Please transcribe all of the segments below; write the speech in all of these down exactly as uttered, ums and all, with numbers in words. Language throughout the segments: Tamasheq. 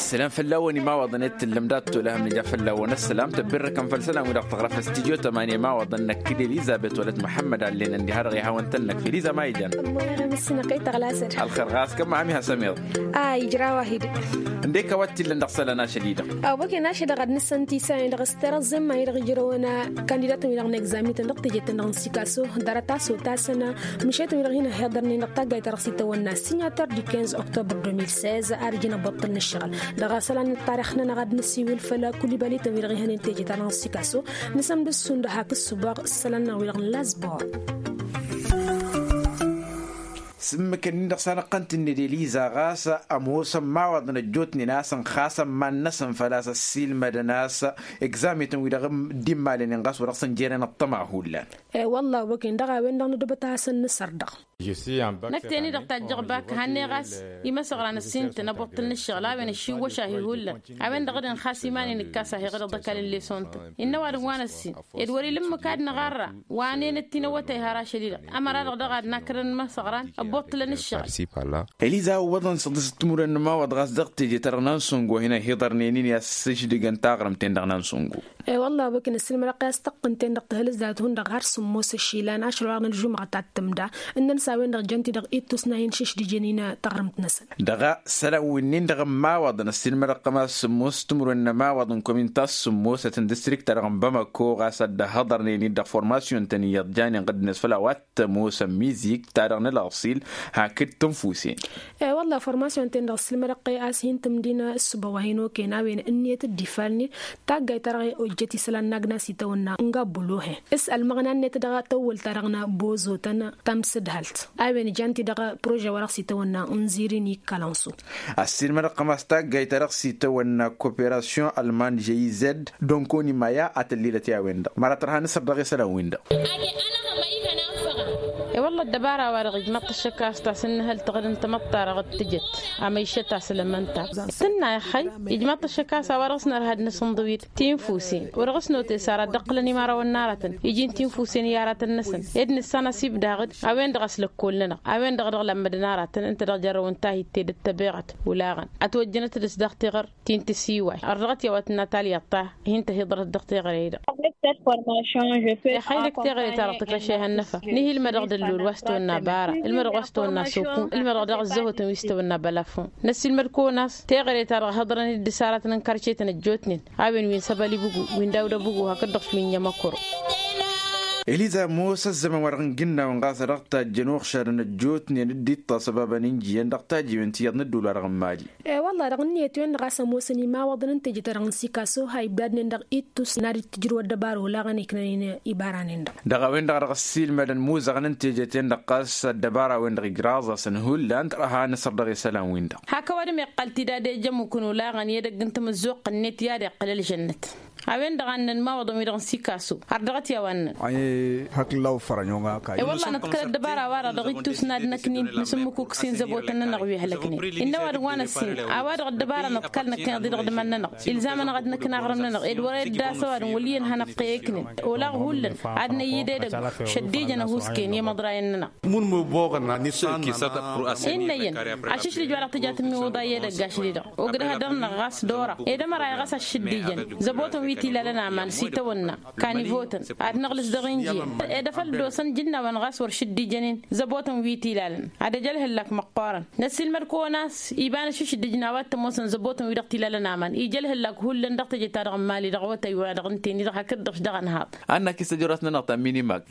Sălam fălla-wăn imawaḍăn i-tǝllăm dat-tolăhăm nǝja fălla-wăn ăssălam tăbbirrăkăm făll-isălan wi-dăɣ tăɣrăf s-tijo tămani imawaḍăn năkk d-elizabet wălăt muḥămmăd allen ăndi har-dăɣ ihawăn-tăn-năkk fi eliza ma ijan. Ălxer ɣas kămma amiha sămiḍ. A ijra wahid. Ǝndek a-wa t-illăn dăɣ-isălan ašăl-i-dăɣ. Awăken ašăl-i-dăɣ ad-nǝssan tisălan-i-dăɣ s-terăẓẓen ma-i-dăɣ ijrăwăn kandidatăn-wi-dăɣ n-egzamităn dăɣ-teje-tăn-dăɣ n-sikaso. Dăr-ătaso tasăn mǝšetăn-wi-dăɣ hin-ăhiḍărnen dăɣ-taggayt-ta-dăɣ s-itawănna signater du quinze octobre deux mille seize ar ijăn ăbbuṭṭǝl n-ǝššăɣǝl. Dăɣ-isălan n-ăṭṭarix-nănăɣ ad-nǝsiwǝl făll-kulibalităn-wi-dăɣ ihănen teje-ta-dăɣ n-sikaso. Nǝsămdǝssun d-hak ǝssǝboɣ isălan-năɣ wi-dăɣ n-lasbor. S-ǝmmǝk-ǝnnin-dăɣ s-anăɣ-tăn-tǝnned eliza ɣas ămoosăn imawaḍăn ăjjootnen a-s ănxasăn iman-năsăn făl-a-s ăssiilmădăn a-s egzamităn-wi-dăɣ dd-immalănen ɣas wa dăɣ-săn jeren ăṭṭăma hullan. I-wălla a-wa-ken-dăɣ a-wen-dăɣ nǝdǝbăt a hasăn-nǝsăr-dăɣ. Năkk teni-dăɣ tajjăɣ bak hannăy ɣas imăsăɣra n-ăssintăn ăbbuṭṭǝl n-ǝššăɣǝl a-wen ăššiwwăš-ahi hullan. A-wen-dăɣ d-inxas iman-in ǝkkas-ahi ɣǝdăɣ d-ăkall n-lesson-tăn innă ăwadǝm wa n-ăssin ed wăr-ila ǝmmǝk ad-năɣarra wa ănenăt tinăwwăt a iha rašăl-i-dăɣ. Ămăra-dăɣ daɣ ad-nakrăn imăsăɣran ăbbuṭṭǝlăn ǝššăɣǝl. Eliza a ǝwwăḍăn săḍǝs timǝrwen n-ămawaḍ ɣas dăɣ-teje-ta-dăɣ n-ansăngo a hin-ăhiḍărnen-in i-ad-sǝždǝgăn taɣrǝmt-en-dăɣ n-ansăngo. I-wălla a-wa-ken ăssiilmădăɣ i-ad-s tăqqǝnt-en-dăɣ tihǝlǝzat hundăɣ har sǝmmos ăšilan ašăl wa dăɣ-nǝžumăɣăt ad-tǝmda. Ǝnnăn s-a-wen-dăɣ jăn-ti-dăɣ ittus n-a hin-šǝšdǝjăn-in taɣrǝmt-năsăn. Dăɣ-a sălan wi-nin-dăɣ n-imawaḍăn ăssiilmădăɣ-tăm a-s sǝmmos timǝrwen n-ămawaḍ n-komin ta s-sǝmmosăt n-distrikt-ta-dăɣ n-bamako ɣas ad-dd-ăhhăḍărnen-dd dăɣ-formasyon-tăn iyyăḍ janen ɣǝddǝnet făll-a-wa t-ămoosăn mizik ta-dăɣ n-ălɣăṣil hakd tǝnfusen. I-wălla formasyon-ten-dăɣ ăssiilmădăɣ-t a-s hin-tǝmdin ǝssǝba wa hin-oken a-wen ǝnniyăt dd-ifalnen taggayt-ta-dăɣ ojjăt isălan n-agnas itawănna n-gabbulohen s-ălmăɣna-net dăɣ-tawwălt-ta-dăɣ n-bozotăn tamsǝdhălt a-wen jan-t-i dăɣ-prože wa dăɣ-s itawănna n-zirin ikkălansu. Ăssiilmădăɣ-tăm a-s taggayt-ta-dăɣ s-itawănna koperasyon ălman jeyized donkonimaya a tăllilăt i-a-wen-dăɣ măra tărha nǝsăr dăɣ-isălan-win-dăɣ. I-wălla ăddăbara-wa-dăɣ ijmaḍ-t ăššăk a-s tasǝnnǝhăl taɣdǝmt tamăḍt-ta-dăɣ d-tǝjăt amăyšăt a-s ălămănta tǝnna ixăy ijmaḍ-t ăššăk a-s a-wa dăɣ-s nărha d-năsǝnḍǝwit tinfusen wăr-dăɣ-s notesar ad-dd-ăqqǝlăn imărawăn n-aratăn iji n-tinfusen i-aratăn-năsăn ed nǝssan asibdaɣ-dd a-wen-dăɣ a-s lăkkol-nănăɣ a-wen-dăɣ a dăɣ-lămmădăn aratăn ǝnta dăɣ-jărrăw n-tahit tedet tăbeɣăt olaɣăn ătwăjjănăt-dăɣ s-dăɣ tiɣăr ti n-tǝsiway ărdăɣăt i-a-wa tǝnna talyăḍt ta hin-tăhiḍărăt dăɣ-teɣăre-dăɣ. Ixăyăl d-teɣăre ta dăɣ-tǝkrăšeh ănnăfa nihi ǝlmădăɣ d-ăllul wa s-tăwănna bara ǝlmădăɣ wa s-tăwănna sokun ǝlmădăɣ daɣ ǝzzăhotăn wi s-tăwănna bălafun. Năssiilmăd-kăwăn a-s teɣăre ta dăɣ-hăḍrăn-dd isaratăn n-karcetăn ăjjootnen a-wen wi n-săbăl ibugu wi n-dawd abugu hakd-dăɣ wi n-inyămăkoro. Eliza ămoos ăzzăman wa dăɣ-n gǝnnawăn ɣas a dăɣ-tajjăn uɣšadăn ăjjootnen dd-iṭṭas ăbabăn injiyăn dăɣ-tajiwen ti iyyăḍ n-ădduul wa dăɣ-n mali. I-wălla dăɣ-ǝnniyăt-wen-dăɣ a-s ămoosăn imawaḍăn n-teje-ta-dăɣ n-sikaso ha ibdadnen dăɣ-ittus n-ad-dd-tǝjrǝw ăddăbar olaɣăn iknănen ibaran-en-dăɣ. Dăɣ-a-wen-dăɣ a dăɣ-ăssiilmădăn imuzăɣăn n-teje-ten-dăɣ ɣas ăddăbara-wen-dăɣ ijraẓ-asăn hullan tărha nǝsăr dăɣ-isălan-win-dăɣ. Hak ăwadǝm iqqăl-t-dd ad-ejămukăn olaɣăn i-edăgg n-tamǝzzuɣt-net i-ad-iqqǝl ălžănnăt. A-wen-dăɣ a ǝnnăn imawaḍăn-wi-dăɣ n-sikaso har dăɣ-t i-a-wa ǝnnăn. I-wălla nǝḍkăl ăddăbara-wa-dăɣ dăɣ-ittus n-ad-năknin nǝsǝmmǝkuk s-inzăbotăn-nănăɣ wi ăhlăknen. Innă ăwadǝm wa n-ăssin a-wa dăɣ-ăddăbara nǝḍkăl năkkăneḍ-i dăɣ-dăman-nănăɣ ilzam-anăɣ ad-năkna aɣrǝm-nănăɣ ed wăr-e dd-asăw ad-nǝwǝl iyyăn hanăɣ-t i-iknen. Olaɣ hullan ad-năyy d-edăgg šăddijăn ăhuusken i-imăḍrayăn-nănăɣ. Innă iyyăn ašǝšlǝj wa dăɣ-tǝja tǝmmiwǝḍa i-edăgg ašli-dăɣ ogdăh ad-dăr-năɣ ɣas d-ora ed ămăra iɣas aššǝddijăn zăbotăn wi t-ilalăn aman s-itawănna kanivotăn ad-năɣlǝs dăɣ-injiyăn ed afăl dd-osăn jǝnnawăn ɣas wăr šǝddijăn-in zăbotăn wi t-ilalăn ad-ăj ălhǝllak măqqoorăn. Năssiilmăd-kăwăn a-s iba n-ašǝšdǝj n-a-wa t-ămoosăn zăbotăn wi-dăɣ t-ilalăn aman ija ălhǝllak hullan dăɣ-teje-ta-dăɣ n-mali dăɣ-awătay-wa-dăɣ ǝnta-en-i-dăɣ hakd-dăɣ-š dăɣ-ănhaḍ. Annak-i s-ăjrăt-nănăɣ ta n-minimak.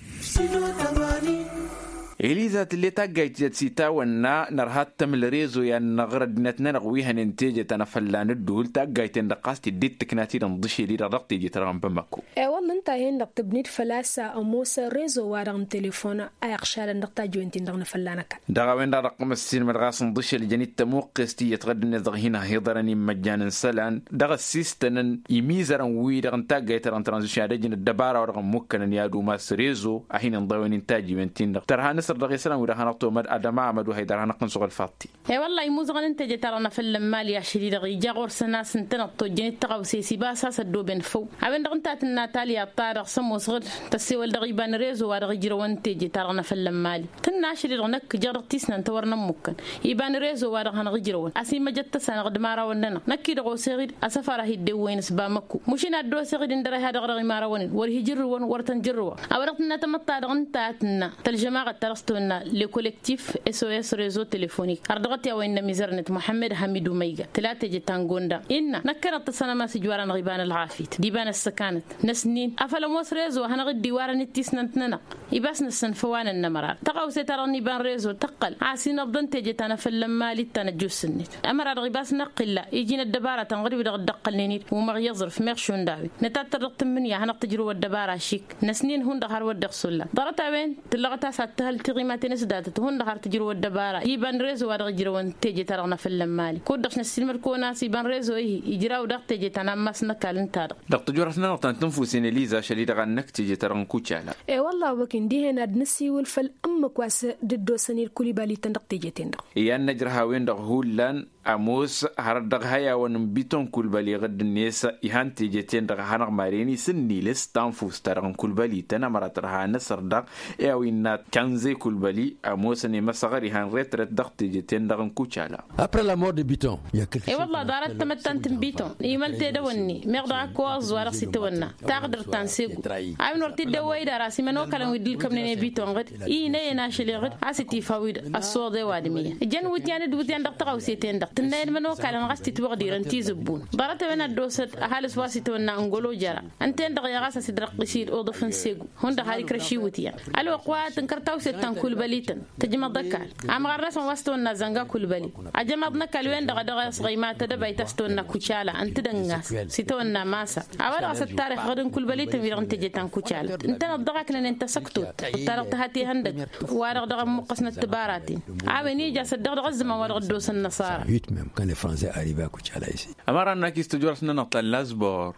Eliza tǝll'-e taggayt tiyyăt s-itawănna nărha ad-tămǝl rezo i-ad-năɣr ăddinăt-nănăɣ wi hănen teje ta n-afălla n-ǝddǝwǝl taggayt-en-dăɣ ɣas tidd-dd-tǝkna tidǝn ḍǝšel-i-dăɣ dăɣ-teje-ta-dăɣ n-bamako. I-wălla ǝnta-en-dăɣ tǝbnǝy-dd făl-a-s ămoos rezo-wa-dăɣ n-telefon a iɣšadăn dăɣ-tajǝwen-tin-dăɣ n-afălla n-ăkall. Dăɣ-a-wen-dăɣ a dăɣ-tăm ăssiilmăd ɣas n-iḍǝšel jăn-dd tămuqqest tiyyăt ɣǝddǝnet dăɣ-hin-ăhiḍărăn imăjjan n-isălan dăɣ-ăssistănăn imizărăn-wi-dăɣ n-taggayt-ta-dăɣ n-tranzisyon ad-ăjǝn ăddăbara-wa-dăɣ ămmukkănăn i-ad-umas rezo a hin-inḍăwăn intajǝwen-tin-dăɣ tărha n-asăr. dăɣ-e-sănăn wi-dăɣ hanăɣ-tomăd adăma amădu haydăr hanăɣ-tăn-suɣǝl faḍti. E-wălla-i imuzăɣăn n-teje-ta-dăɣ n-afăl n-imali ašăl-i-dăɣ ija ɣur-săn a-s ǝntăneḍ tojjăn-dd tăɣawse s-ibas a-s ăddooben făw. A-wen-dăɣ ǝnta a tǝnna talya ta-dăɣ s-ămoosăɣ-dd tăssewăl dăɣ-iba n-rezo wa dăɣ-ijrăwăn n-teje-ta-dăɣ n-afăl n-imali. Tǝnna ašăl-i-dăɣ năkk jăɣ dăɣ-tisnant wăr nămmukkăn iba n-rezo wa dăɣ-hanăɣ-ijrăwăn a-s imăjăt tăsanăɣ d-imărawăn-nănăɣ năkk-i-dăɣ oseɣ-dd asăfar a hi-dd-ewwăyăn s-bamăkko. Mušin ad-dd-oseɣ-dd ǝndăr a iha dăɣ-dăɣ imărawăn-in wăr hi-jărrǝwăn wăr tăn-jărrǝwăɣ. A-wa dăɣ-tǝnna tamăḍt-ta-dăɣ ǝnta a tǝnna tălžămaɣăt ta dăɣ-s tăwănna le collectif s o s rezo telefonik har dăɣ-t i-a-wa innă mizărnet muḥămmăd hamidu măyga tǝla teje ta n-gonda innă năkkăneḍ tăsănăm a-s ǝjwar-anăɣ iba n-ălɣafyăt d-iba n-ăssăkanăt. Năsnin afăl ămoos rezo a hanăɣ-dd-iwarăn d-tisnant-nănăɣ ibas năssăn făw a nănnămărar tăɣawse-ta-dăɣ n-iba n-rezo tăqqăl a-s inăbḍăn teje ta n-afăl n-imali d-ta n-ăjjoosnet. Ămăra-dăɣ ibas năqqǝlla iji n-ăddăbara ta n-ɣǝd-wi-dăɣ dd-ăqqălnen-dd umăɣ i-aẓrǝf meɣ šund a-wen nǝtattăr dăɣ-tǝmmǝnǝya a hanăɣ-tǝjrǝw ăddăbara ašik. Năsnin hundăɣ har wăr dd-iɣsulla ḍarăt-a-wen tǝllăɣăt a-s ad-tǝhăl tiɣimaten s-datăt hundăɣ har tǝjrǝw ăddăbara iba n-rezo wa dăɣ-ijrăwăn teje-ta-dăɣ n-afăl n-imali kud-dăɣ s-năssiilmăd kăwăn-as iba n-rezo-i ijraw daɣ teje ta n-ammas n-ăkall ǝnta-dăɣ. Dăɣ-tǝjorăt-nănăɣ ta n-tǝnfusen eliza ašăl-i-dăɣ ad-năkk teje-ta-dăɣ n-kucala. E-wălla a-wa băkk-in dihen ad-nǝsiwǝl făll-ǝmmǝk wa s-dd-osăn-dd kul-ibali-tăn dăɣ-teje-ten-dăɣ. Iyyăn n-ejrăhawen-dăɣ hullan ămoos hărăt dăɣ-ihăyawăn n-biton kulbăli ɣǝdd-net. Ihan teje-ten-dăɣ a hanăɣ-maren isǝnnilǝs tanfust-ta-dăɣ n-kulbăli-tăn ămăra tărha năsăr-dăɣ i-a-wa innă kanze kulbăli ămoosăn i-măsăɣăr ihan retret dăɣ-teje-ten-dăɣ n-kucala. Après la mort de biton. E-wălla ḍarăt tamăttant n-biton imăl tedăwănni meɣ dăɣ-ak wa ăẓẓu wa dăɣ-s-itawănna taɣdărt ta n-segu. A-wen wăr t-dd-ewwăy d-ara s-imănokalăn wi dd-ǝlkămnen i-biton ɣǝd i inăyăn ašăl i-ɣǝd a-s itifa-wi-dăɣ ăssoḍe wa d-imǝyyan ǝjăn wǝtyan d-wǝtyan dăɣ-tăɣawse-ten-dăɣ tǝnnayăn imănokalăn ɣas titwăɣdirăn tizǝbbun. Ḍarăt-a-wen ad-dd-osăd ăhalǝs wa s-itawănna ǝngolo jăra ǝnta-en-dăɣ i-ɣas a-s dd-răqqis-dd uḍǝf n-segu. Hundăɣ har ikrăš iwǝtyan ălwăqq wa tǝnkăr tawset ta n-kulbăli-tăn tǝjmăḍ ăkall. Amɣar-năsăn wa s-tawănna zănga kulbăli ăjămaḍ n-ăkall-wen-dăɣ a dăɣ-s ɣăyma tedăbayt a-s tawănna kucala ǝnta d-ănnas s-itawănna masa. A-wa dăɣ-s ăttarix ɣǝd n-kulbăli-tăn wi-dăɣ n-teje ta n-kucala ǝntăneḍ dăɣ-aknănen tasăktut ta dăɣ-tăhăt ihăndăg wa-dăɣ dăɣ-ămmuqqăsnăt tibaraten. A-wen ija s-ăddăɣ dăɣ-ăzzăman wa dăɣ-dd-osăn năṣara. Ămăra n-akis tǝjorăt-nănăɣ ta n-lazbor.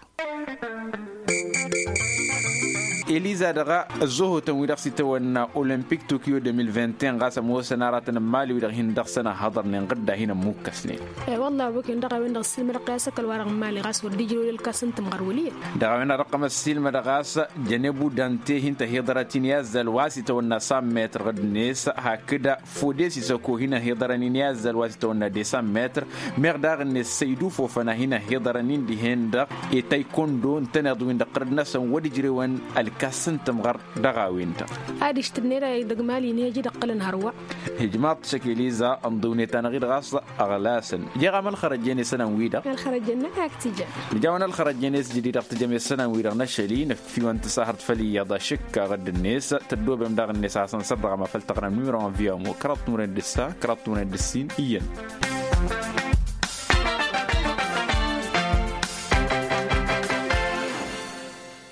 Eliza dăɣ-ăzzohotăn wi-dăɣ s-itawănna olimpik tokyo deux mille vingt et un ɣas ămoosăn aratăn n-imali wi-dăɣ hin-dăɣ-săn ăhhăḍărnen ɣǝdda hin-ămmukkăsnen. E-wălla a-wa băken dăɣ-a-wen-dăɣ ǝssilmădăɣ-t i-asăkăl wa-dăɣ n-imali ɣas wăr dd-ijrăw i-ălkas n-tǝmɣăr wăl' iyyăn. Dăɣ-a-wen a dăɣ-tăm ăssilmădăɣ ɣas jănebu dante hin-tăhiḍărăt-in i-azzăl wa s-itawănna san metr ɣǝdd-net hakd fodes isăko hin-ăhiḍărăn-in i-azzăl wa s-itawănna desan metr. Meɣ daɣ-net săydu fofăna hin-ăhiḍărăn-in dihen-dăɣ i-taykondo ǝntăneḍ-win-dăɣ ɣǝrǝd-năsăn wăr dd-ijrewăn ălkas n-tǝmɣăr. Dăɣ-a-wen-dăɣ ad-ǝštǝnned a idăgg imali n-heji d-ǝqqǝlăn hărwa. Ijmaḍ-t šăk eliza ǝnḍǝwnet-anăɣ-dd ɣas ăɣlasăn. Jeɣ-am ălxărăjjen i-isălan-wi-dăɣ. Ălxărăjjen-năk a ǝktǝjăn. Nǝja-wăn ălxărăjjen i-s jadid dăɣ-tǝjăm i-isălan-wi-dăɣ n-ašăl-i nǝffiwăn tǝsahărt făll-iyyăḍ ašǝkka ɣǝdd-net. Tăddoobem daɣ-net a hasăn-sărdăɣăm afăl tăɣrăm număro n-viamo kăraḍ timǝrwen d-ǝssa kăraḍ timǝrwen d-ǝssin iyyăn.